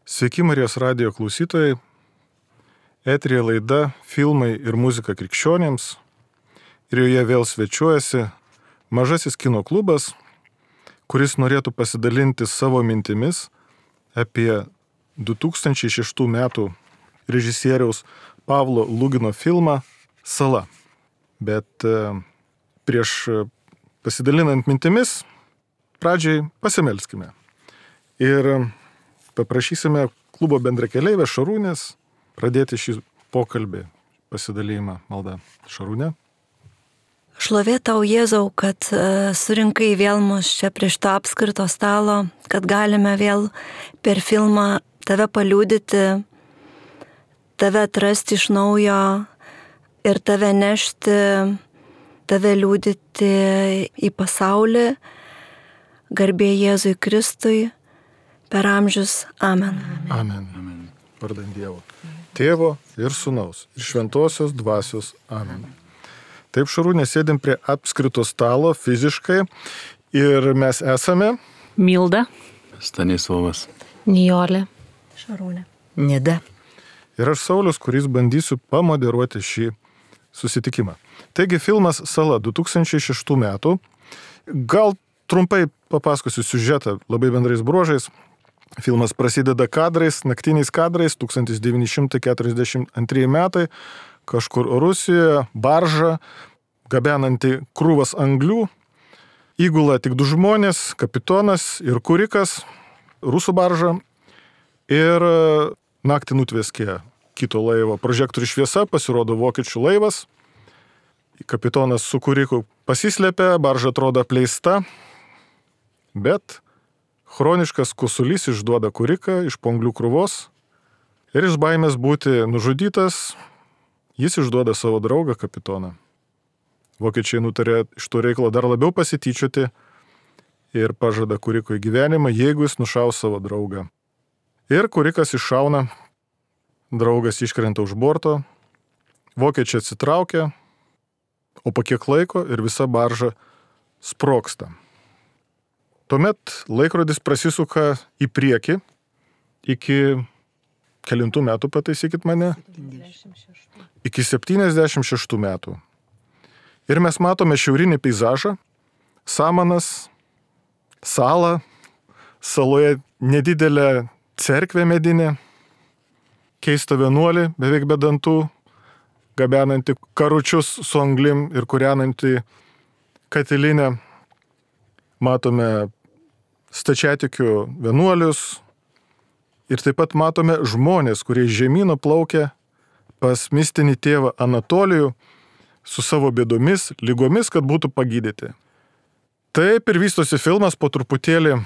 Sveiki Marijos radijo klausytojai, eteryje laida Filmai ir muzika krikščionėms ir joje vėl svečiuojasi mažasis kino klubas, kuris norėtų pasidalinti savo mintimis apie 2006 metų režisieriaus Pavlo Lugino filmą Sala. Bet prieš pasidalinant mintimis, pradžiai pasimelskime. Ir paprašysime klubo bendrakeleivės Šarūnės pradėti šį pokalbį, pasidalėjimą maldą. Šarūnė. Šlovė tau, Jėzau, kad surinkai vėl mus čia prieš to apskrito stalo, kad galime vėl per filmą tave paliudyti, tave atrasti iš naujo ir tave nešti, tave liudyti į pasaulį. Garbė Jėzui Kristui. Per amžius. Amen. Amen. Vardant Dievo. Tėvo ir Sūnaus ir Šventosios Dvasios. Amen. Taip, Šarūnė, sėdim prie apskrito stalo fiziškai ir mes esame Milda, Stanislavas, Nijolė, Šarūnė. Nida. ir aš Saulius, kuris bandysiu pamoderuoti šį susitikimą. Taigi filmas Sala 2006 metų. Gal trumpai papasakosiu siužetą labai bendrais bruožais. Filmas prasideda kadrais, naktiniais kadrais, 1942 metai, kažkur Rusijoje, barža, gabenanti krūvas anglių, įgula tik du žmonės, kapitonas ir kurikas, rusų barža, ir naktį nutveskė kito laivo prožektorių šviesa, pasirodo vokiečių laivas, kapitonas su kuriku pasislėpė, barža atrodo apleista, bet chroniškas kosulys išduoda kuriką iš po anglių krūvos ir iš baimės būti nužudytas, jis išduoda savo draugą kapitoną. Vokiečiai nutarė iš to reikalo dar labiau pasityčioti ir pažada kuriko į gyvenimą, jeigu jis nušaus savo draugą. Ir kurikas iššauna, draugas iškrenta už borto, vokiečiai atsitraukia, o po kiek laiko ir visa barža sprogsta. Tuomet laikrodis prasisuka į priekį iki kelintų metų, pataisykit mane? 76. Iki 76 metų. Ir mes matome šiaurinį peizažą, samanas, salą, saloje nedidelė cerkvė medinė, keista vienuolį, beveik be dantų, gabenanti karučius su anglim ir kūrenanti katilinę. Matome stačiatikių vienuolius ir taip pat matome žmonės, kurie iš žemyno plaukia pas mistinį tėvą Anatolijų su savo bėdomis, lygomis, kad būtų pagydyti. Taip ir vystosi filmas, po truputėlį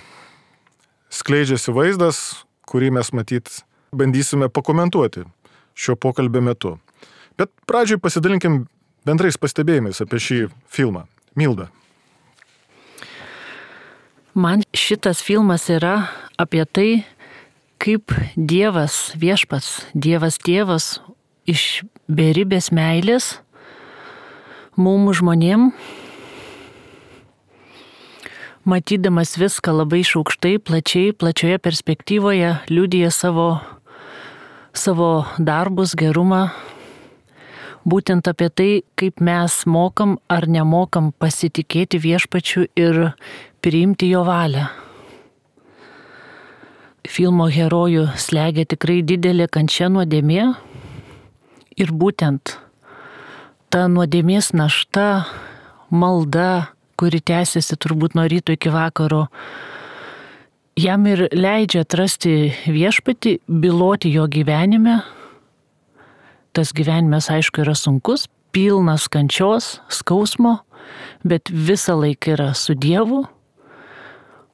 skleidžiasi vaizdas, kurį mes matyt bandysime pakomentuoti šio pokalbio metu. Bet pradžiai pasidalinkim bendrais pastebėjimais apie šį filmą. Milda. Man šitas filmas yra apie tai, kaip Dievas viešpats, Dievas tėvas iš beribės meilės mums žmonėm, matydamas viską labai iš aukštai, plačioje perspektyvoje, liudija savo darbus, gerumą, būtent apie tai, kaip mes mokam ar nemokam pasitikėti viešpačiu ir priimti jo valią. Filmo herojų slegia tikrai didelė kančia nuodėmė ir būtent ta nuodėmės našta, malda, kuri tęsiasi turbūt nuo ryto iki vakaro, jam ir leidžia atrasti viešpatį, byloti jo gyvenime. Tas gyvenimas, aišku, yra sunkus, pilnas kančios, skausmo, bet visą laiką yra su Dievu.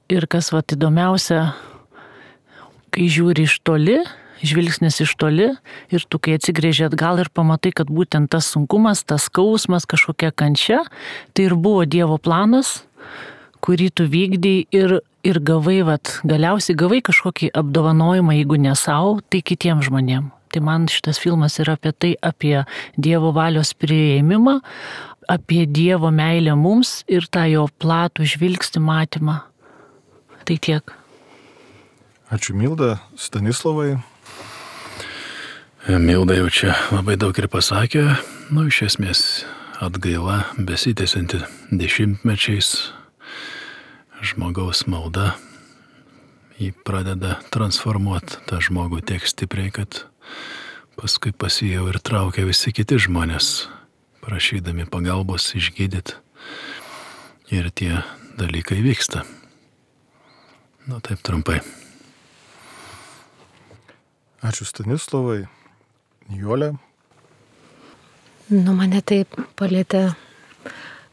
Ir kas įdomiausia, kai žiūri iš toli, žvilgsnis iš toli, ir tu kai atsigrėži atgal ir pamatai, kad būtent tas sunkumas, tas skausmas, kažkokia kančia, tai ir buvo Dievo planas, kurį tu vykdai ir gavai, galiausiai gavai kažkokį apdovanojimą, jeigu ne savo, tai kitiems žmonėms. Tai man šitas filmas yra apie tai, apie Dievo valios priėmimą, apie Dievo meilę mums ir tą jo platų žvilgsnį matymą. Tai tiek. Ačiū Milda, Stanislavai. Milda jau čia labai daug ir pasakė, iš esmės atgaila besitęsianti dešimtmečiais, žmogaus malda, jį pradeda transformuoti tą žmogų tiek stipriai, kad paskui pas jį jau ir traukia visi kiti žmonės, prašydami pagalbos išgydyti. Ir tie dalykai vyksta. Taip trumpai. Ačiū Stanislavai. Nijolė. Mane taip palėtė,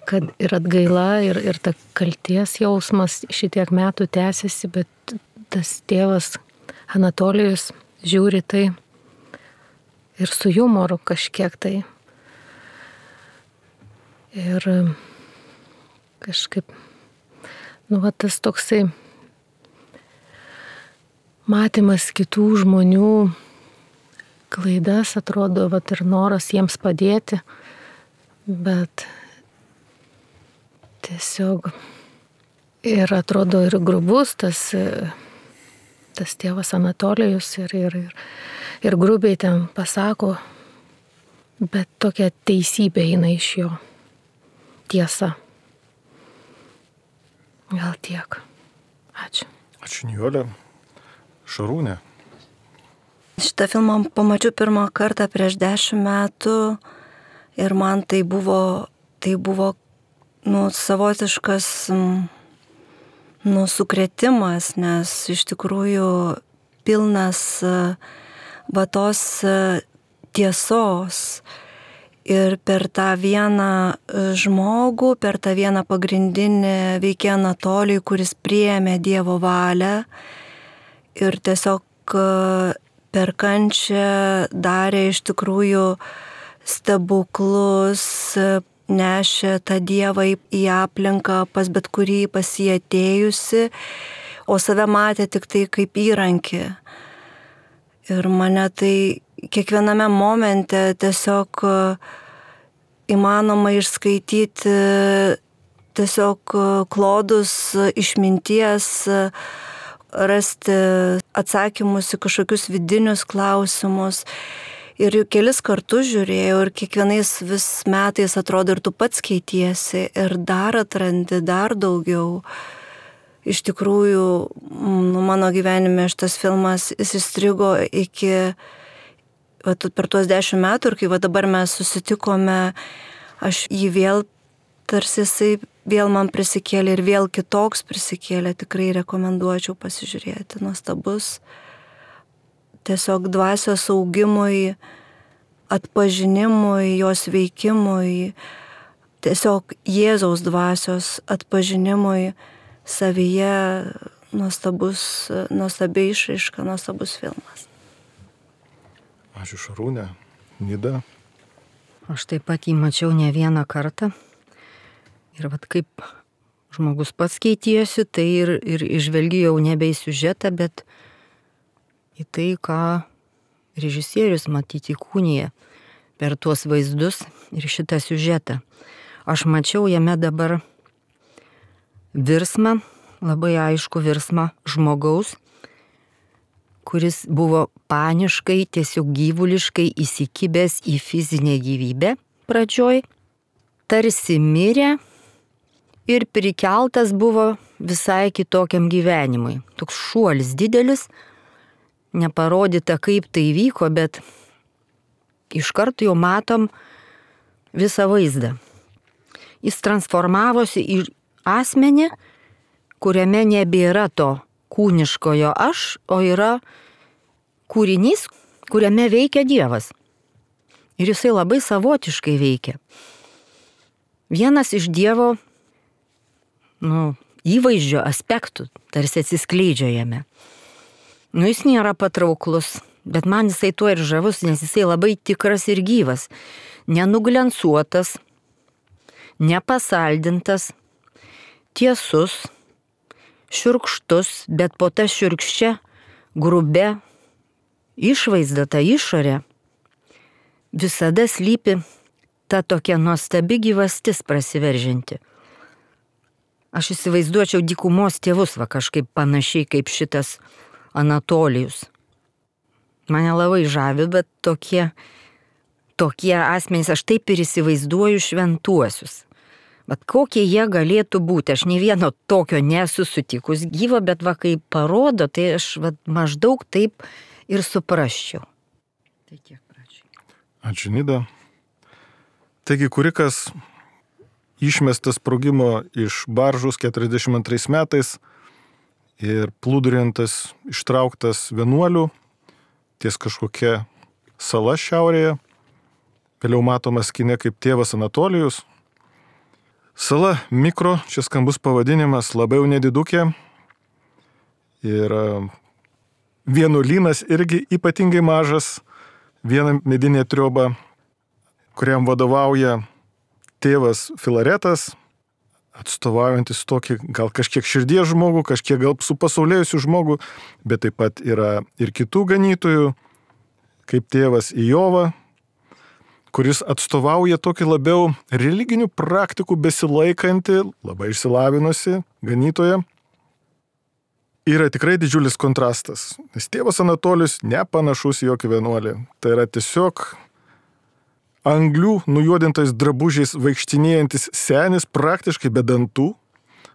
kad ir atgaila, ir ta kalties jausmas šitiek metų tęsiasi, bet tas tėvas Anatolijus žiūri tai ir su jumoru kažkiek tai. Ir kažkaip, tas toksai matymas kitų žmonių klaidas, atrodo, ir noras jiems padėti, bet tiesiog ir atrodo ir grubus tas tėvas Anatolijus ir grubiai ten pasako, bet tokia teisybė eina iš jo, tiesa. Gal tiek. Ačiū. Ačiū Nijolė. Šarūnė. Šitą filmą pamačiau pirmą kartą prieš 10 metų ir man tai buvo savotiškas sukrėtimas, nes iš tikrųjų pilnas tos tiesos. Ir per tą vieną žmogų, per tą vieną pagrindinį veikėją Anatolijų, kuris priėmė Dievo valią ir tiesiog per kančią darė iš tikrųjų stebuklus, nešė tą Dievą į aplinką pas bet kurį pas jį atėjusi, o save matė tik tai kaip įrankį. Ir mane tai kiekviename momente tiesiog įmanoma išskaityti tiesiog klodus išminties, rasti atsakymus į kažkokius vidinius klausimus. Ir kelis kartus žiūrėjau ir kiekvienais vis metais atrodo ir tu pats keitiesi ir dar atrandi dar daugiau. Iš tikrųjų, mano gyvenime šitas filmas įstrigo iki per tuos 10 metų ir kai dabar mes susitikome, aš jį vėl, tarsi jisai vėl man prisikėlė ir vėl kitoks prisikėlė, tikrai rekomenduočiau pasižiūrėti, nuostabus. Tiesiog dvasios augimui, atpažinimui, jos veikimui, tiesiog Jėzaus dvasios atpažinimui savyje nuostabi išraiška, nuostabus filmas. Ačiū Šarūnė. Nida. Aš taip pat jį mačiau ne vieną kartą. Ir kaip žmogus pats keitėsi, tai ir išvelgiu jau nebe į siužetą, bet į tai, ką režisierius matyti įkūnija per tuos vaizdus ir šitą siužetą. Aš mačiau jame dabar virsmą, labai aišku virsmą žmogaus, kuris buvo paniškai, tiesiog gyvuliškai įsikibęs į fizinę gyvybę pradžioj, tarsi mirė ir prikeltas buvo visai kitokiam gyvenimui. Toks šuolis didelis, neparodyta kaip tai vyko, bet iš karto jau matom visą vaizdą. Jis transformavosi į asmenį, kuriame nebėra to kūniškojo aš, o yra kūrinys, kuriame veikia Dievas. Ir jisai labai savotiškai veikia. Vienas iš Dievo įvaizdžio aspektų tarsi atsiskleidžia jame. Jis nėra patrauklus, bet man jisai tuo ir žavus, nes jisai labai tikras ir gyvas. Nenuglensuotas, nepasaldintas, tiesus, šiurkštus, bet po ta šiurkščia, grubia išvaizda, ta išorė, visada slypi ta tokia nuostabi gyvastis prasiveržinti. Aš įsivaizduočiau dykumos tėvus, kažkaip panašiai kaip šitas Anatolijus. Mane labai žavi, bet tokie asmenys, aš taip ir įsivaizduoju šventuosius. Bet kokie jie galėtų būti, aš nei vieno tokio nesu sutikus gyvo, bet va kai parodo, tai aš maždaug taip ir suprasčiau. Tai tiek pradžiai. Ačiū, Nida. Taigi Kurikas išmestas sprogimo iš baržos 42 metais ir plūduriantas ištrauktas vienuolių ties kažkokia sala šiaurėje. Vėliau matomas kine kaip tėvas Anatolijus. Sala Mikro, čia skambus pavadinimas, labai jau nedidukė. Ir vienuolynas irgi ypatingai mažas, viena medinė trioba, kuriam vadovauja tėvas Filaretas, atstovaujantis tokį gal kažkiek širdies žmogų, kažkiek gal supasaulėjusių žmogų, bet taip pat yra ir kitų ganytojų, kaip tėvas Ijova, kuris atstovauja tokį labiau religinių praktikų besilaikantį, labai išsilavinusi ganytoją. Yra tikrai didžiulis kontrastas, nes tėvas Anatolijus nepanašus į jokį vienuolį. Tai yra tiesiog anglių nujuodintais drabužiais vaikštinėjantis senis, praktiškai be dantų,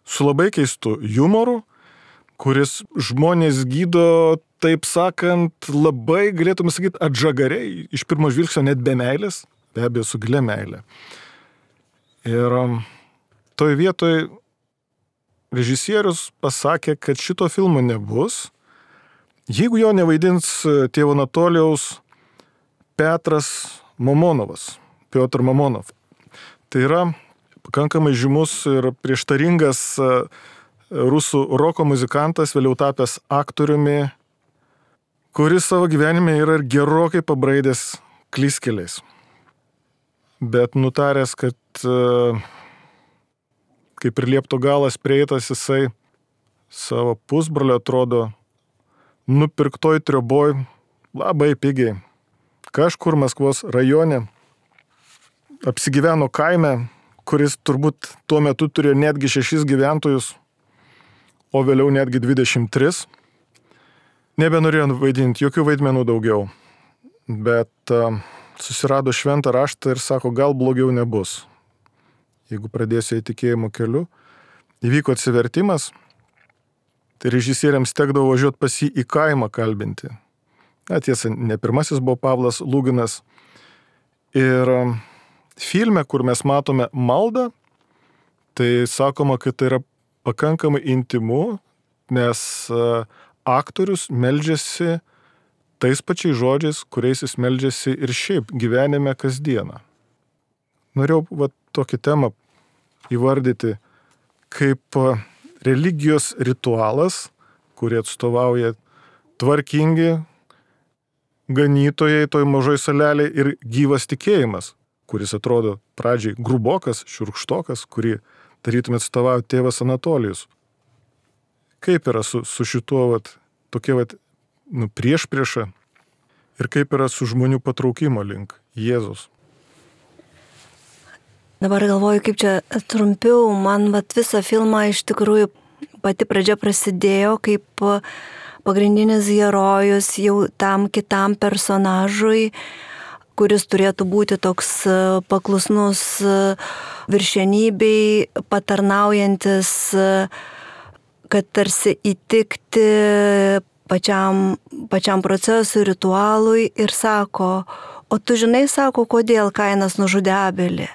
su labai keistu humoru, kuris žmonės gydo, taip sakant, labai, galėtume sakyti, atžagariai, iš pirmo žvilgsnio net be meilės, be abejo su gilia meilė. Ir toj vietoj režisierius pasakė, kad šito filmo nebus, jeigu jo nevaidins tėvo Anatolijaus Petras Mamonovas, Piotr Mamonov. Tai yra pakankamai žymus ir prieštaringas rusų roko muzikantas, vėliau tapęs aktoriumi, kuris savo gyvenime yra ir gerokai pabraidęs klystkeliais. Bet nutaręs, kad kaip ir liepto galas prieitas, jisai savo pusbrolio atrodo nupirktoj trioboj labai pigiai. Kažkur Maskvos rajone apsigyveno kaime, kuris turbūt tuo metu turėjo netgi 6 gyventojus, o vėliau netgi 23. Nebenorėjo vaidinti jokių vaidmenų daugiau, bet susirado šventą raštą ir sako, gal blogiau nebus. Jeigu pradėsiu į tikėjimo keliu, įvyko atsivertimas, tai režisieriams tekdavo važiuoti pas jį į kaimą kalbinti. Tiesa, ne pirmasis buvo Pavlas Lūginas. Ir filme, kur mes matome maldą, tai sakoma, kad tai yra pakankamai intimu, nes aktorius meldžiasi tais pačiais žodžiais, kuriais jis meldžiasi ir šiaip gyvenime kasdieną. Norėjau tokį temą įvardyti kaip religijos ritualas, kurį atstovauja tvarkingi ganytojai toj mažoj salelėje ir gyvas tikėjimas, kuris atrodo pradžiai grubokas, šiurkštokas, kurį tarytum atstovauja tėvas Anatolijus. Kaip yra su šituo tokia priešprieša ir kaip yra su žmonių patraukimo link Jėzus. Dabar galvoju, kaip čia trumpiau, man visą filmą iš tikrųjų pati pradžia prasidėjo kaip pagrindinis herojus jau tam kitam personažui, kuris turėtų būti toks paklusnus viršenybei, patarnaujantis, kad tarsi įtikti pačiam procesui, ritualui ir sako, o tu žinai, sako, kodėl Kainas nužudė Abelį.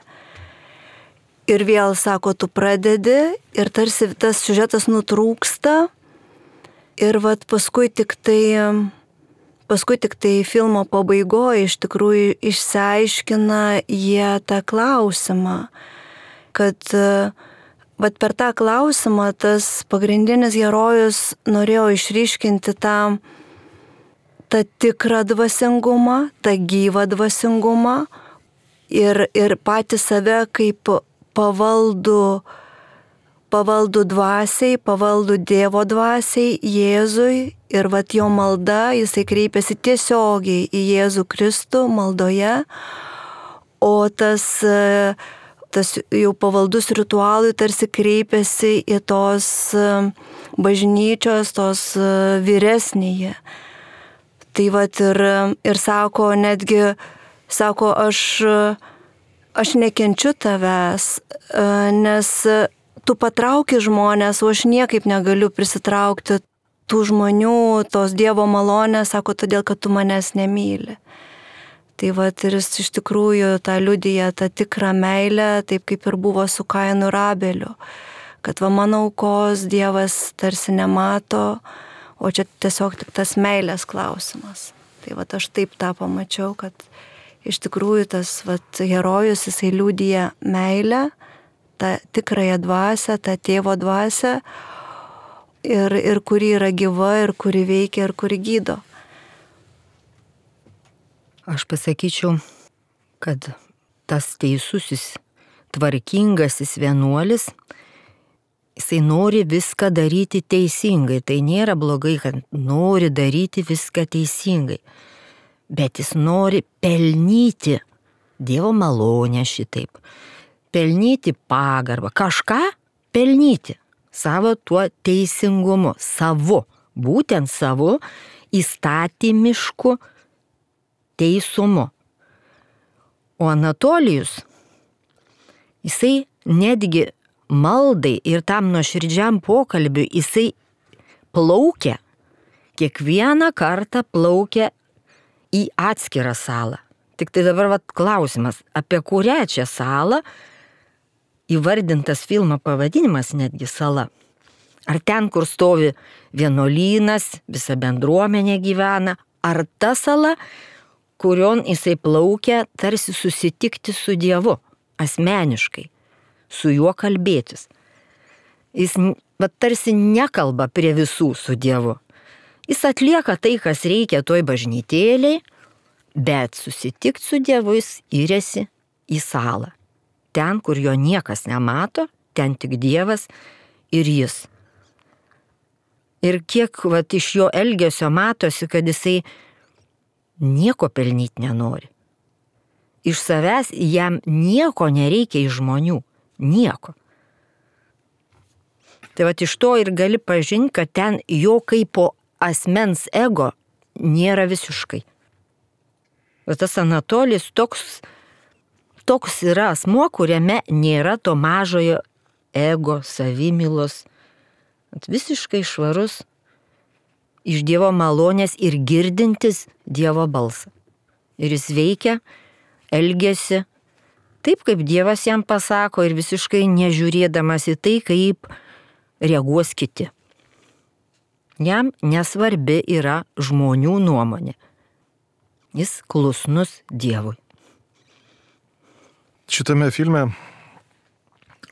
Ir vėl sako, tu pradedi ir tarsi tas siužetas nutrūksta. Ir paskui tik tai filmo pabaigoje iš tikrųjų išsiaiškina jie tą klausimą, kad per tą klausimą tas pagrindinis herojus norėjo išryškinti tą tikrą dvasingumą, tą gyvą dvasingumą ir patį save kaip pavaldų dvasiai, pavaldų Dievo dvasiai, Jėzui ir jo malda, jisai kreipiasi tiesiogiai į Jėzų Kristų maldoje, o tas tas jau pavaldus ritualui tarsi kreipiasi į tos bažnyčios, tos vyresnįjį. Tai vat ir sako, netgi, sako, aš nekenčiu tavęs, nes tu patrauki žmonės, o aš niekaip negaliu prisitraukti tų žmonių, tos Dievo malonės, sako, todėl, kad tu manęs nemyli. Tai vat ir jis iš tikrųjų tą liudija, tą tikrą meilę, taip kaip ir buvo su Kainu ir Abeliu. Kad va mano aukos Dievas tarsi nemato, o čia tiesiog tik tas meilės klausimas. Tai vat aš taip tą pamačiau, kad iš tikrųjų tas vat herojus, jisai liudija meilę, tą tikrąją dvasią, tą tėvo dvasią, ir kuri yra gyva, ir kuri veikia, ir kuri gydo. Aš pasakyčiau, kad tas teisusis, tvarkingasis vienuolis, jisai nori viską daryti teisingai. Tai nėra blogai, kad nori daryti viską teisingai. Bet jis nori pelnyti Dievo malonę šitaip. Pelnyti pagarbą. Kažką pelnyti savo tuo teisingumu. Savo. Būtent savo įstatymišku teisumu. O Anatolijus, jisai netgi maldai ir tam nuoširdžiam pokalbiui, jisai plaukia, kiekvieną kartą plaukia į atskirą salą. Tik tai dabar klausimas, apie kurią čia salą įvardintas filmo pavadinimas netgi sala. Ar ten, kur stovi vienuolynas, visa bendruomenė gyvena, ar ta sala, kurion jisai plaukia tarsi susitikti su Dievu, asmeniškai, su juo kalbėtis. Jis tarsi nekalba prie visų su Dievu. Jis atlieka tai, kas reikia toj bažnytėliai, bet susitikti su Dievu jis įrėsi į salą. Ten, kur jo niekas nemato, ten tik Dievas ir jis. Ir kiek iš jo elgesio matosi, kad jisai nieko pelnyti nenori. Iš savęs jam nieko nereikia iš žmonių. Nieko. Tai iš to ir gali pažinti, kad ten jo kaip po asmens ego nėra visiškai. O tas Anatolijus toks yra asmuo, kuriame nėra to mažojo ego, savimylos. Visiškai švarus, iš Dievo malonės ir girdintis Dievo balsą. Ir jis veikia, elgiasi taip, kaip Dievas jam pasako ir visiškai nežiūrėdamas į tai, kaip reaguos kiti. Jam nesvarbi yra žmonių nuomonė. Jis klusnus Dievui. Šitame filme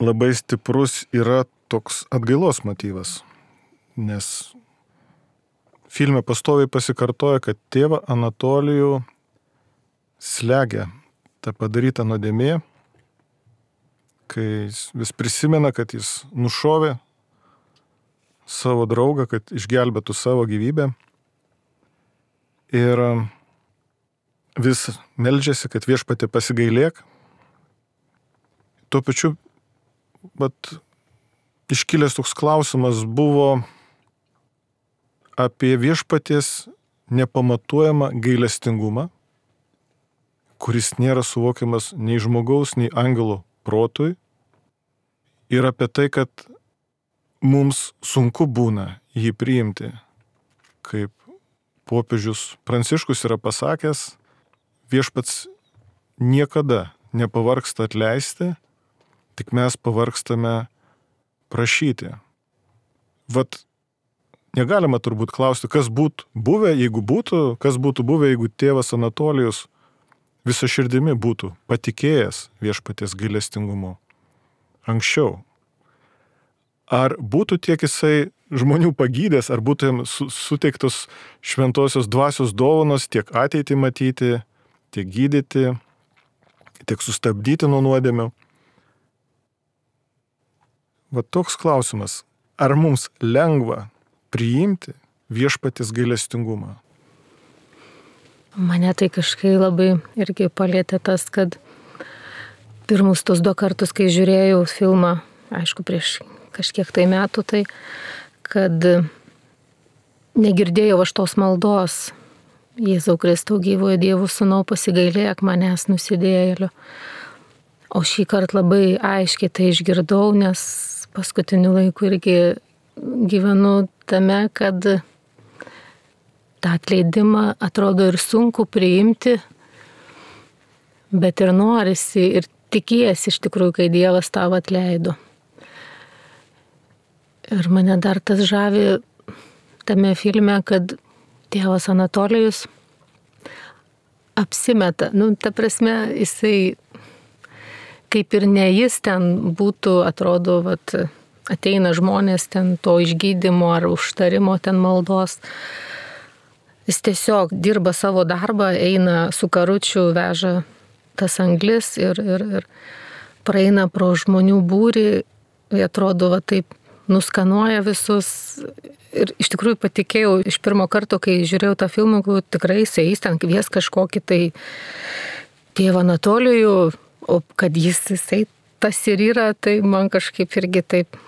labai stiprus yra toks atgailos motyvas, nes filme pastoviai pasikartoja, kad tėvą Anatolijų slegia ta padaryta nuodėmė, kai jis vis prisimena, kad jis nušovė savo draugą, kad išgelbėtų savo gyvybę ir vis meldžiasi, kad Viešpatie pasigailėk. Tuo pačiu, iškilęs toks klausimas buvo apie Viešpaties nepamatuojamą gailestingumą, kuris nėra suvokiamas nei žmogaus, nei angelo protui, ir apie tai, kad mums sunku būna jį priimti. Kaip popiežius Pranciškus yra pasakęs, Viešpats niekada nepavargsta atleisti, tik mes pavargstame prašyti. Negalima turbūt klausti, kas būtų buvę, jeigu tėvas Anatolijus visą širdimi būtų patikėjęs Viešpaties gailestingumu anksčiau. Ar būtų tiek jisai žmonių pagydęs, ar būtų jam suteiktos šventosios dvasios dovanos tiek ateitį matyti, tiek gydyti, tiek sustabdyti nuo nuodėmių. Toks klausimas, ar mums lengva priimti Viešpaties gailestingumą? Mane tai kažkai labai irgi palėtė tas, kad pirmus tos 2 kartus, kai žiūrėjau filmą, aišku, prieš kažkiek tai metų, tai kad negirdėjau aš tos maldos. Jėzau Kristau, gyvojo Dievo Sūnau, pasigailėk manęs nusidėjėliu. O šį kartą labai aiškiai tai išgirdau, nes paskutiniu laiku irgi gyvenu tame, kad tą atleidimą atrodo ir sunku priimti, bet ir norisi, ir tikiesi iš tikrųjų, kai Dievas tau atleido. Ir mane dar tas žavi tame filme, kad tėvas Anatolijus apsimeta. Ta prasme, jisai kaip ir ne jis ten būtų, atrodo, ateina žmonės ten to išgydymo ar užtarimo ten maldos. Jis tiesiog dirba savo darbą, eina su karučiu, veža tas anglis ir praeina pro žmonių būrį, atrodo, taip nuskanuoja visus. Ir iš tikrųjų patikėjau iš pirmo karto, kai žiūrėjau tą filmą, kad tikrai jis ten kvies kažkokį tai tėvą Anatolijų, o kad jisai tas ir yra, tai man kažkaip irgi taip,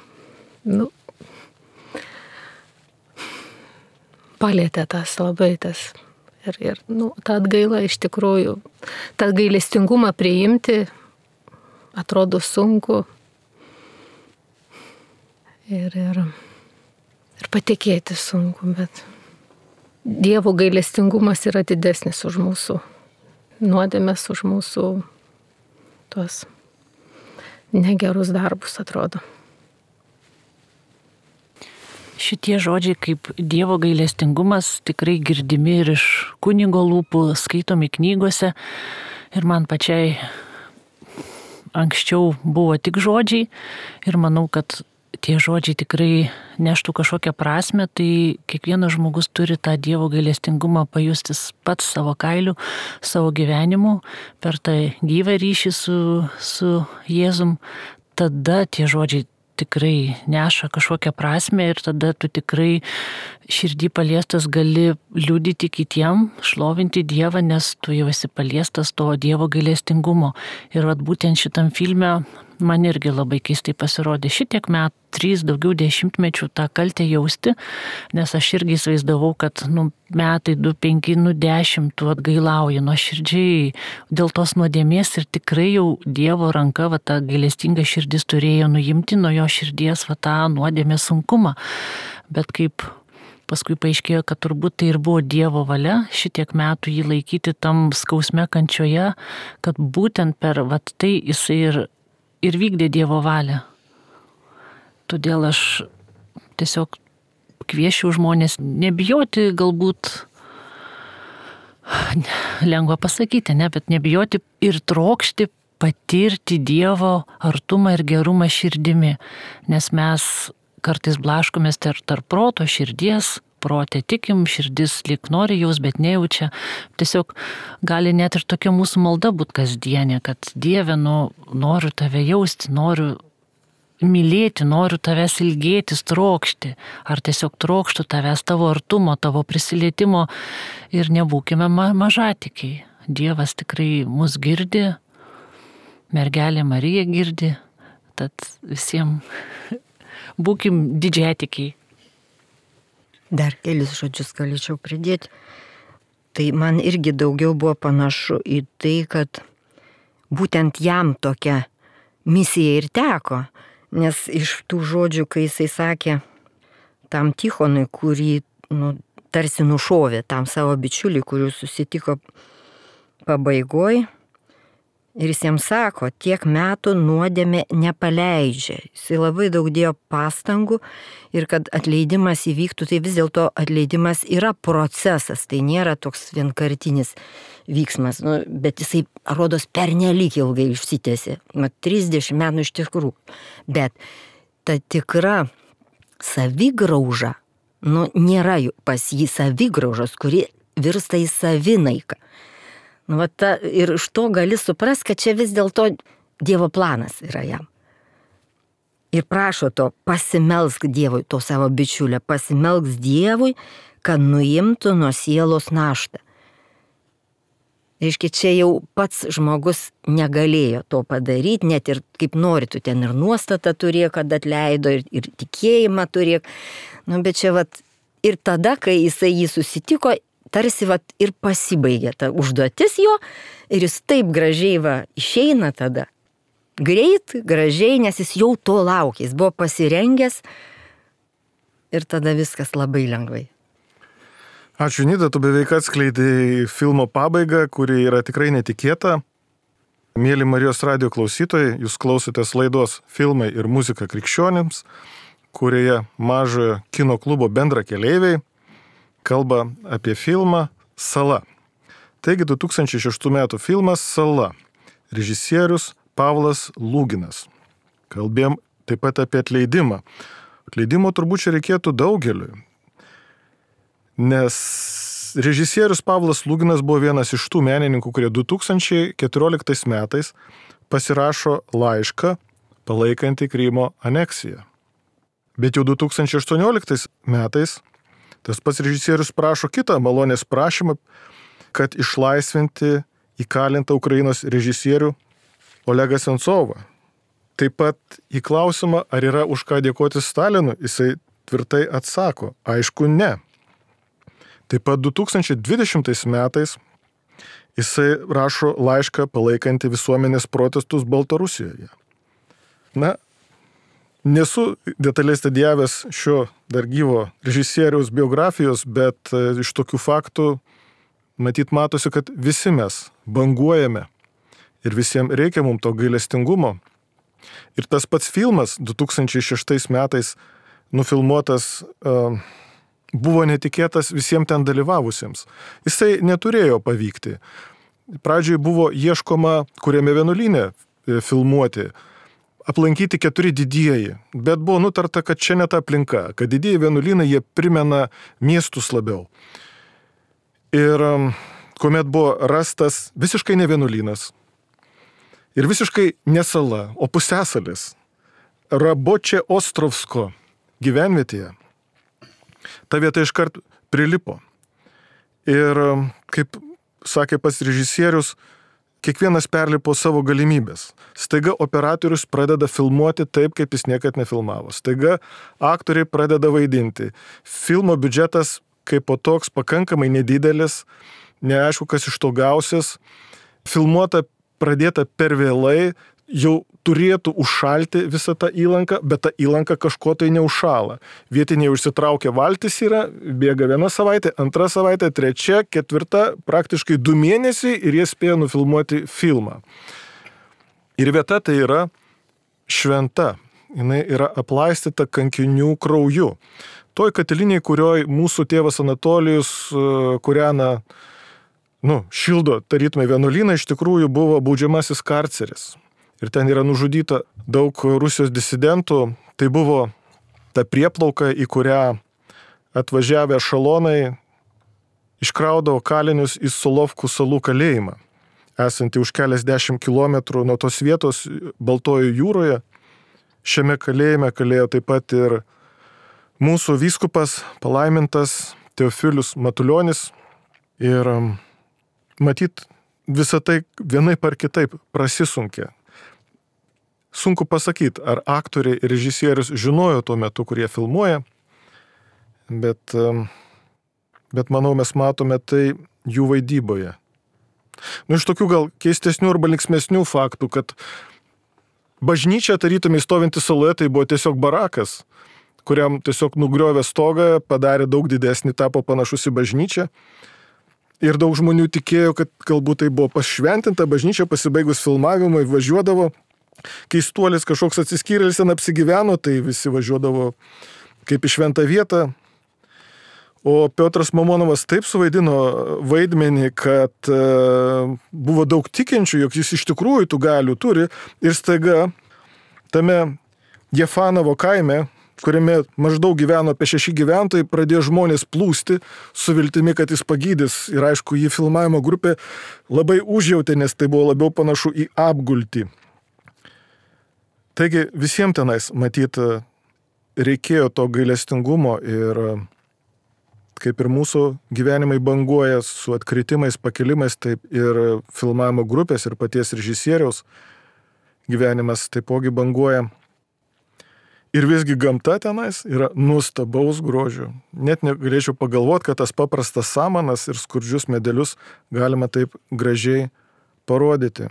palėtė tas labai tas. Ir ta atgaila iš tikrųjų, tą gailestingumą priimti atrodo sunku. Ir patikėti sunku, bet Dievo gailestingumas yra didesnis už mūsų nuodėmes, už mūsų tuos negerus darbus, atrodo. Šitie žodžiai kaip Dievo gailestingumas tikrai girdimi ir iš kunigo lūpų, skaitomi knygose. Ir man pačiai anksčiau buvo tik žodžiai ir manau, kad tie žodžiai tikrai neštų kažkokią prasme, tai kiekvienas žmogus turi tą Dievo gailestingumą pajusti pats savo kailiu, savo gyvenimu, per tą gyvą ryšį su Jėzum. Tada tie žodžiai tikrai neša kažkokią prasme ir tada tu tikrai širdį paliestas gali liudyti kitiem, šlovinti Dievą, nes tu jau esi paliestas to Dievo gailestingumo. Ir būtent šitam filme man irgi labai keistai pasirodė šitiek metų, 3 daugiau dešimtmečių tą kaltę jausti, nes aš irgi įsivaizdavau, kad metai, 2, 5, 10 tu atgailauji nuoširdžiai dėl tos nuodėmės ir tikrai jau Dievo ranka, ta gailestinga širdis turėjo nuimti nuo jo širdies tą nuodėmės sunkumą. Bet kaip paskui paaiškėjo, kad turbūt tai ir buvo Dievo valia šitiek metų jį laikyti tam skausme kančioje, kad būtent per tai jisai ir vykdė Dievo valią. Todėl aš tiesiog kviečiu žmonės nebijoti, galbūt lengva pasakyti, bet nebijoti ir trokšti patirti Dievo artumą ir gerumą širdimi, nes mes kartais blaškomės tarp proto, širdies, protė tikim, širdis lyg nori jaus, bet nejaučia. Tiesiog gali net ir tokia mūsų malda būti kasdienė, kad Dieve, noriu tave jausti, noriu mylėti, noriu tavęs ilgėtis, trokšti, ar tiesiog trokštų tavęs, tavo artumo, tavo prisilietimo ir nebūkime mažatikiai. Dievas tikrai mus girdi, mergelė Marija girdi, tad visiems būkim didžiatikiai. Dar kelis žodžius galėčiau pridėti. Tai man irgi daugiau buvo panašu į tai, kad būtent jam tokia misija ir teko. Nes iš tų žodžių, kai jisai sakė tam Tichonui, kurį tarsi nušovė, tam savo bičiulį, kurių susitiko pabaigoj, ir jis jam sako, tiek metų nuodėmė nepaleidžia. Jisai labai daug dėjo pastangų ir kad atleidimas įvyktų, tai vis dėlto atleidimas yra procesas, tai nėra toks vienkartinis vyksmas, bet jisai, rodos, pernelyg ilgai išsitęsė, 30 metų iš tikrųjų. Bet ta tikra savigrauža, nėra pas jį savigraužos, kuri virsta į savinaiką. Ir iš to gali suprasti, kad čia vis dėlto Dievo planas yra jam. Ir prašo to, pasimelsk Dievui, to savo bičiulio, pasimelsk Dievui, kad nuimtų nuo sielos naštą. Reiškia, čia jau pats žmogus negalėjo to padaryti, net ir kaip nori, tu ten ir nuostatą turėjo, kad atleido, ir tikėjimą turėjo. Nu, bet čia vat, ir tada, kai jisai jį susitiko, tarsi vat, ir pasibaigė ta užduotis jo, ir jis taip gražiai išeina tada. Greit, gražiai, nes jis jau to laukė, jis buvo pasirengęs ir tada viskas labai lengvai. Ačiū, Nida, tu beveik atskleidai filmo pabaigą, kuri yra tikrai netikėta. Mėly Marijos radijo klausytojai, jūs klausotės laidos Filmai ir muzika krikščionims, kurioje Mažojo kino klubo bendrakeleiviai kalba apie filmą Sala. Taigi 2006 metų filmas Sala. Režisierius Pavlas Lūginas. Kalbėjom taip pat apie atleidimą. Atleidimo turbūt čia reikėtų daugeliui. Nes režisierius Pavlas Lūginas buvo vienas iš tų menininkų, kurie 2014 metais pasirašo laišką palaikantį Krymo aneksiją. Bet jau 2018 metais tas pats režisierius prašo kitą malonės prašymą, kad išlaisvinti įkalintą Ukrainos režisierių Olegą Sensovą. Taip pat į klausimą, ar yra už ką dėkoti Stalinui, jisai tvirtai atsako, aišku, ne. Taip pat 2020 metais jisai rašo laišką palaikantį visuomenės protestus Baltarusijoje. Na, nesu detaliai studijavęs šio dar gyvo režisieriaus biografijos, bet iš tokių faktų matyt matosi, kad visi mes banguojame ir visiems reikia mums to gailestingumo. Ir tas pats filmas 2006 metais nufilmuotas buvo netikėtas visiems ten dalyvavusiems. Jisai neturėjo pavykti. Pradžioj buvo ieškoma, kuriame vienuolyne filmuoti, aplankyti 4 didieji, bet buvo nutarta, kad čia ne ta aplinka, kad didieji vienuolynai jie primena miestus labiau. Ir kuomet buvo rastas visiškai ne vienuolynas ir visiškai ne sala, o pusiasalis Rabočė Ostrovsko gyvenvietėje, ta vieta iškart prilipo. Ir kaip sakė pats režisierius, kiekvienas perlipo savo galimybės. Staiga operatorius pradeda filmuoti taip, kaip jis niekad nefilmavo. Staiga aktoriai pradeda vaidinti. Filmo biudžetas kaip po toks pakankamai nedidelis, neaišku, kas iš to gausis. Filmuota pradėta per vėlai, jau turėtų užšalti visą tą įlanką, bet ta įlanka kažko tai neužšala. Vietiniai užsitraukia valtis yra, bėga 1 savaitė, 2 savaitė, 3, 4, praktiškai 2 mėnesiai ir jie spėjo nufilmuoti filmą. Ir vieta tai yra šventa. Jinai yra aplaistyta kankinių krauju. Toj katilinėj, kurioj mūsų tėvas Anatolijus kūrena, šildo tarytumai vienuolyną, iš tikrųjų buvo baudžiamasis karceris. Ir ten yra nužudyta daug Rusijos disidentų. Tai buvo ta prieplauka, į kurią atvažiavę ešelonai iškraudavo kalinius į Solovkų salų kalėjimą, esantį už keliasdešimt kilometrų nuo tos vietos Baltojoje jūroje. Šiame kalėjime kalėjo taip pat ir mūsų vyskupas palaimintas Teofilius Matulionis. Ir matyt, visą tai vienaip ar kitaip prasisunkė. Sunku pasakyti, ar aktoriai ir režisierius žinojo tuo metu, kurie filmuoja, bet manau, mes matome tai jų vaidyboje. Iš tokių gal keistesnių arba linksmesnių faktų, kad bažnyčia tarytumai stovinti saloje, tai buvo tiesiog barakas, kuriam tiesiog nugriovė stogą, padarė daug didesnį, tapo panašus į bažnyčią. Ir daug žmonių tikėjo, kad galbūt tai buvo pašventinta bažnyčia, pasibaigus filmavimui važiuodavo. Keistuolis kažkoks atsiskyrėlis ten apsigyveno, tai visi važiuodavo kaip į šventą vietą. O Piotras Mamonovas taip suvaidino vaidmenį, kad buvo daug tikinčių, jog jis iš tikrųjų tų galių turi. Ir staiga tame Jefanovo kaime, kuriame maždaug gyveno apie 6 gyventojai, pradėjo žmonės plūsti su viltimi, kad jis pagydys. Ir aišku, jį filmavimo grupė labai užjautė, nes tai buvo labiau panašu į apgultį. Taigi visiems tenais, matyt, reikėjo to gailestingumo ir kaip ir mūsų gyvenimai banguoja su atkritimais, pakilimais, taip ir filmavimo grupės ir paties režisieriaus gyvenimas taipogi banguoja. Ir visgi gamta tenais yra nuostabaus grožio. Net negalėčiau pagalvoti, kad tas paprastas samanas ir skurdžius medelius galima taip gražiai parodyti.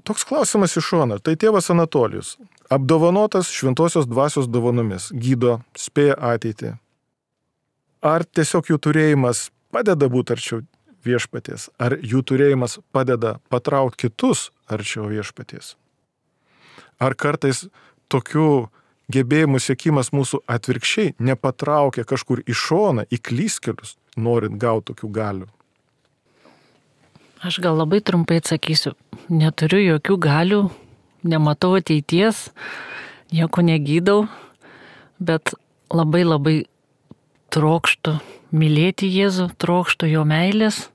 Toks klausimas iš šono. Tai tėvas Anatolijus, apdovanotas šventosios dvasios dovanomis, gydo, spėja ateitį. Ar tiesiog jų turėjimas padeda būti arčiau viešpaties? Ar jų turėjimas padeda patraukti kitus arčiau viešpaties? Ar kartais tokių gebėjimų siekimas mūsų atvirkščiai nepatraukia kažkur į šoną, į klystkelius, norint gauti tokių galių? Aš gal labai trumpai atsakysiu. Neturiu jokių galių, nematau ateities, nieko negydau, bet labai trokštu mylėti Jėzų, trokštu jo meilės,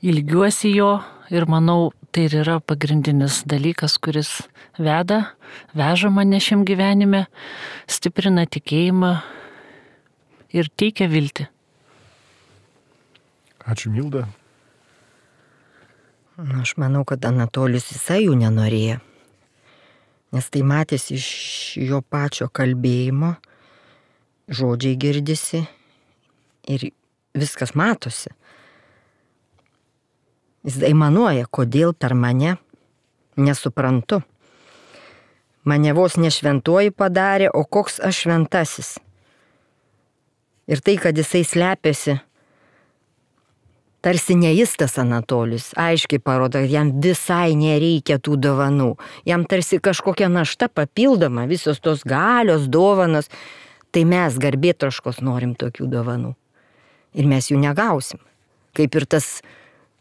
ilgiuosi jo ir manau, tai ir yra pagrindinis dalykas, kuris veža mane šiam gyvenime, stiprina tikėjimą ir teikia viltį. Ačiū, Milda. Aš manau, kad Anatolijus visai jų nenorėjo, nes tai matėsi iš jo pačio kalbėjimo, žodžiai girdisi ir viskas matosi. Jis aimanuoja, kodėl per mane, nesuprantu. Mane vos ne šventoji padarė, o koks aš šventasis. Ir tai, kad jisai slepiasi, tarsi ne jis tas Anatolijus, aiškiai parodo, kad jam visai nereikia tų dovanų. Jam tarsi kažkokia našta papildoma, visos tos galios, dovanos. Tai mes garbėtroškos norim tokių dovanų. Ir mes jų negausim. Kaip ir tas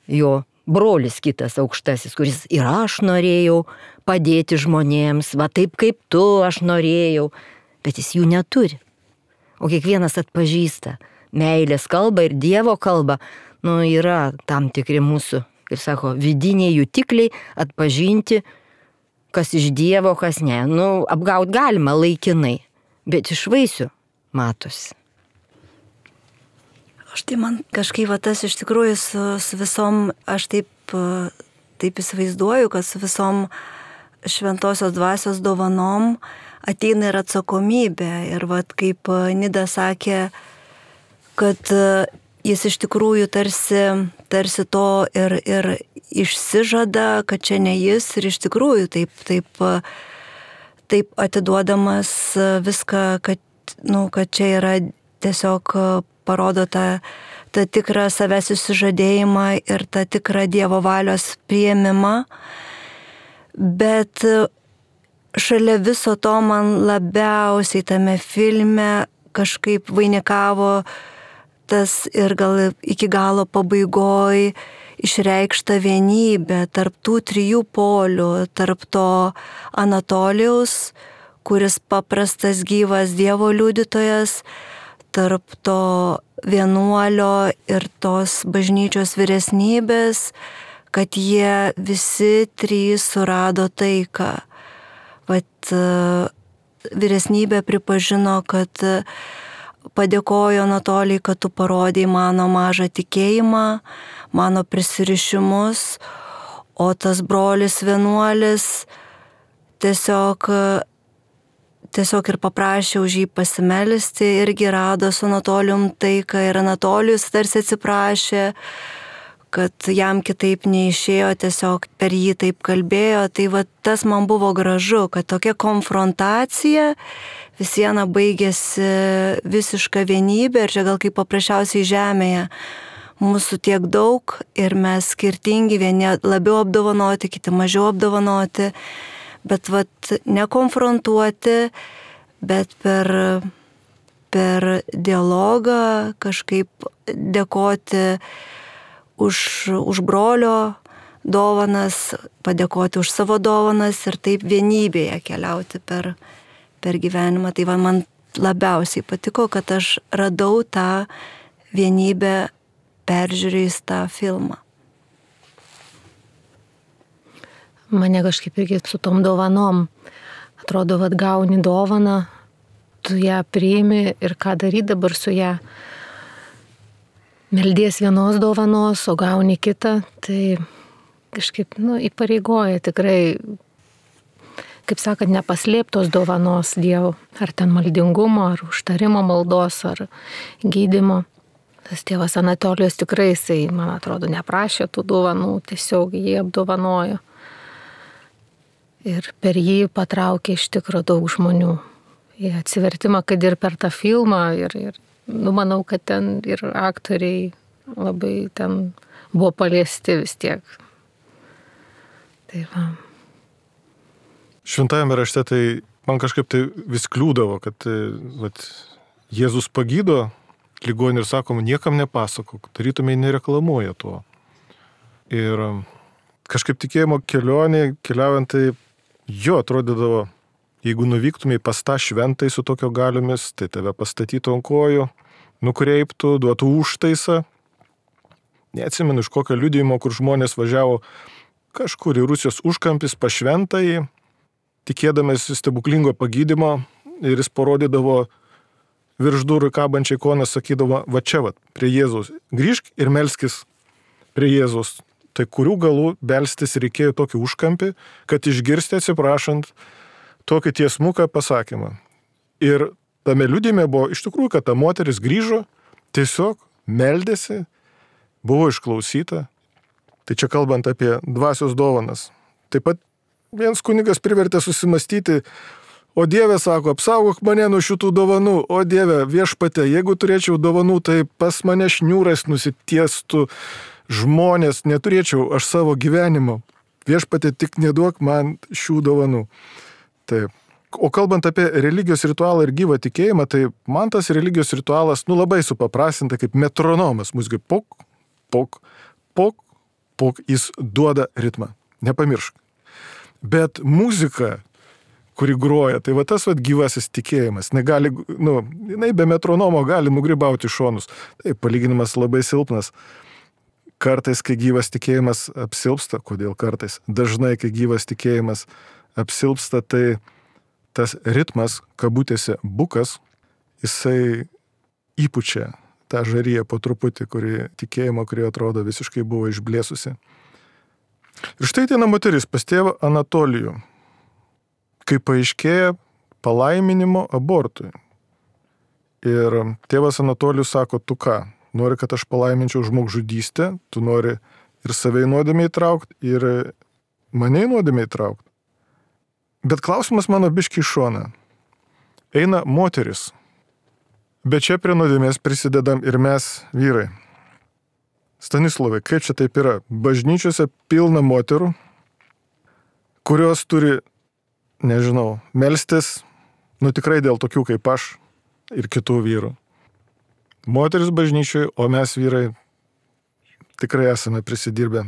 jo brolis kitas aukštasis, kuris ir aš norėjau padėti žmonėms, va taip kaip tu aš norėjau, bet jis jų neturi. O kiekvienas atpažįsta meilės kalbą ir Dievo kalbą, yra tam tikri mūsų, kaip sako, vidiniai jutikliai atpažinti, kas iš Dievo, kas ne. Apgaut galima laikinai, bet iš vaisių matosi. Aš tai man kažkaip tas iš tikrųjų su visom, aš taip įsivaizduoju, kad su visom šventosios dvasios dovanom ateina ir atsakomybė. Ir kaip Nida sakė, kad jis iš tikrųjų tarsi to ir išsižada, kad čia ne jis ir iš tikrųjų taip atiduodamas viską, kad čia yra tiesiog parodo tą tikrą savęs išsižadėjimą ir tą tikrą Dievo valios priėmimą. Bet šalia viso to man labiausiai tame filme kažkaip vainikavo tas ir gal iki galo pabaigoj išreikšta vienybė tarp tų trijų polių, tarp to Anatolijaus, kuris paprastas gyvas Dievo liudytojas, tarp to vienuolio ir tos bažnyčios vyresnybės, kad jie visi trys surado taiką. Vyresnybė pripažino, kad padėkojo Anatolijai, kad tu parodėjai mano mažą tikėjimą, mano prisirišimus, o tas brolis vienuolis tiesiog ir paprašė už jį pasimelisti, irgi rado su Anatolijum taiką ir Anatolijus tarsi atsiprašė, kad jam kitaip neišėjo, tiesiog per jį taip kalbėjo. Tai tas man buvo gražu, kad tokia konfrontacija vis viena baigėsi visiška vienybė ir čia gal kaip paprasčiausiai žemėje. Mūsų tiek daug ir mes skirtingi, vieni labiau apdovanoti, kiti mažiau apdovanoti, bet nekonfrontuoti, bet per dialogą kažkaip dėkoti už brolio dovanas, padėkoti už savo dovanas ir taip vienybėje keliauti per gyvenimą. Tai man labiausiai patiko, kad aš radau tą vienybę peržiūrėjus tą filmą. Mane kažkaip irgi su tom dovanom. Atrodo, gauni dovaną, tu ją priimi ir ką daryti dabar su ją. Meldies vienos dovanos, o gauni kitą, tai kažkaip, įpareigoja tikrai, kaip sakant, nepaslėptos dovanos Dievo, ar ten maldingumo, ar užtarimo maldos, ar gydymo. Tas tėvas Anatolijus tikrai, jisai, man atrodo, neprašė tų dovanų, tiesiog jį apdovanojo. Ir per jį patraukė iš tikro daug žmonių. Į atsivertimą, kad ir per tą filmą, ir manau, kad ten ir aktoriai labai ten buvo paliesti vis tiek. Tai va. Šventajame rašte tai man kažkaip tai vis kliūdavo, kad Jėzus pagydo ligonį ir sakom, niekam nepasakok, tarytumai nereklamuoja tuo. Ir kažkaip tikėjimo kelionė, keliaujant, tai jo atrodydavo, jeigu nuvyktumai pas tą šventai su tokio galiomis, tai tave pastatytų ant kojų, nukreiptų, duotų užtaisą. Neatsimenu iš kokio liudijimo, kur žmonės važiavo kažkur į Rusijos užkampis pas šventąjį, tikėdamės stebuklingo pagydymo, ir jis parodydavo virš durų kabančią ikoną, sakydavo, va čia, prie Jėzaus, grįžk ir melskis prie Jėzaus. Tai kurių galų belstis reikėjo tokį užkampį, kad išgirsti atsiprašant tokį tiesmuką pasakymą. Ir tame liudijime buvo iš tikrųjų, kad ta moteris grįžo, tiesiog meldėsi, buvo išklausyta. Tai čia kalbant apie dvasios dovanas. Taip pat vienas kunigas privertė susimastyti, o Dieve, sako, apsaugok mane nuo šitų dovanų, o Dieve, viešpate, jeigu turėčiau dovanų, tai pas mane šniūras nusitiestų, žmonės, neturėčiau aš savo gyvenimo. Viešpate, tik neduok man šių dovanų. Taip. O kalbant apie religijos ritualą ir gyvą tikėjimą, tai man tas religijos ritualas, labai supaprastinta kaip metronomas. Muzikai pok, pok, pok, pok, jis duoda ritmą. Nepamiršk. Bet muzika, kuri groja, tai tas gyvasis tikėjimas. Jinai be metronomo gali nugribauti šonus. Tai palyginimas labai silpnas. Kartais, kai gyvas tikėjimas apsilpsta, kodėl kartais? Dažnai, kai gyvas tikėjimas apsilpsta, tai tas ritmas, kabutėse bukas, jisai įpučia tą žaryje po truputį, tikėjimo, kuri atrodo visiškai buvo išblėsusi. Ir štai ten moteris pas tėvą Anatolijų, kai paaiškėja palaiminimo abortui. Ir tėvas Anatolijus sako, tu ką? Nori, kad aš palaiminčiau žmogžudystę, tu nori ir save į nuodėmę įtraukti, ir mane į nuodėmę įtraukti. Bet klausimas mano biški į šoną. Eina moteris, bet čia prie nuodėmės prisidedam ir mes, vyrai. Stanislavai, kaip čia taip yra? Bažnyčiose pilna moterų, kurios turi, melstis, tikrai dėl tokių kaip aš ir kitų vyrų. Moteris bažnyčioje, o mes vyrai tikrai esame prisidirbę.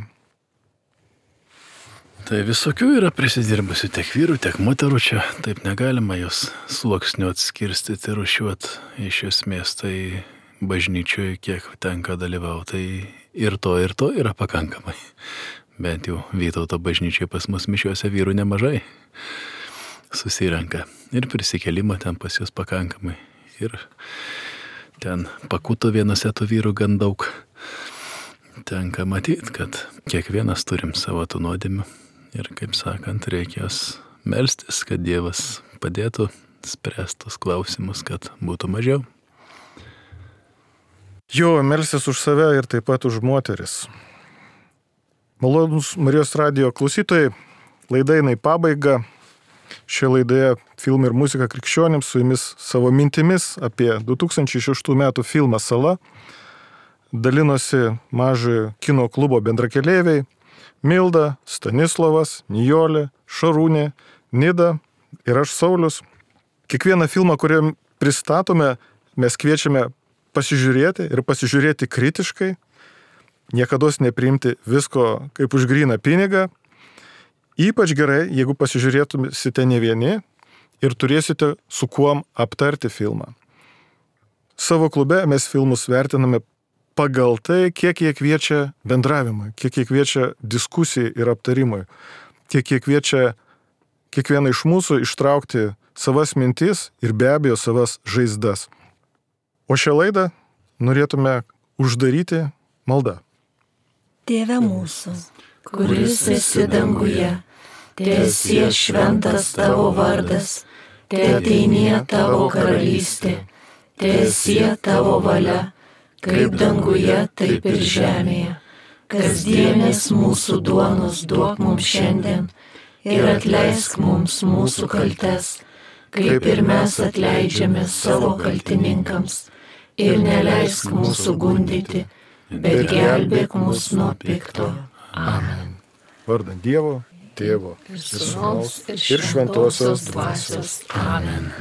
Tai visokių yra prisidirbusių tiek vyrų, tiek moterų čia. Taip negalima jos sluoksnių atskirstyti ir rušiuoti. Iš esmės tai bažnyčioje, kiek tenka dalyvauti, tai ir to yra pakankamai. Bent jau Vytauto bažnyčioje pas mus mišiuose vyrų nemažai susirenka. Ir prisikėlimą ten pas jūs pakankamai. Ir ten pakuto vienose tų vyrų gan daug. Tenka matyti, kad kiekvienas turim savo tų nuodėmių. Ir, kaip sakant, reikės melstis, kad Dievas padėtų spręstus klausimus, kad būtų mažiau. Jo, melstis už save ir taip pat už moteris. Malonūs Marijos radijo klausytojai, laida eina į pabaigą. Šioje laidoje Filmai ir muzika krikščionims, su jumis savo mintimis apie 2006 metų filmą Sala dalinosi Mažojo kino klubo bendrakeleiviai Milda, Stanislavas, Nijolė, Šarūnė, Nida ir aš Saulius. Kiekvieną filmą, kurį pristatome, mes kviečiame pasižiūrėti ir pasižiūrėti kritiškai, niekados nepriimti visko kaip už gryną pinigą. Ypač gerai, jeigu pasižiūrėtumėsite ne vieni ir turėsite su kuom aptarti filmą. Savo klube mes filmus vertiname pagal tai, kiek jie kviečia bendravimui, kiek jie kviečia diskusijai ir aptarimui, kiek jie kviečia kiekvieną iš mūsų ištraukti savas mintis ir be abejo savas žaizdas. O šią laidą norėtume uždaryti maldą. Tėve mūsų, kuris esi danguje, teesie šventas tavo vardas, teateinie tavo karalystė, teesie tavo valia, kaip danguje, taip ir žemėje. Kasdienės mūsų duonos duok mums šiandien ir atleisk mums mūsų kaltes, kaip ir mes atleidžiame savo kaltininkams. Ir neleisk mūsų gundyti, bet gelbėk mus nuo pikto. Amen. Vardant Dievo, Tėvo ir Sūnaus ir Šventosios Dvasios. Amen.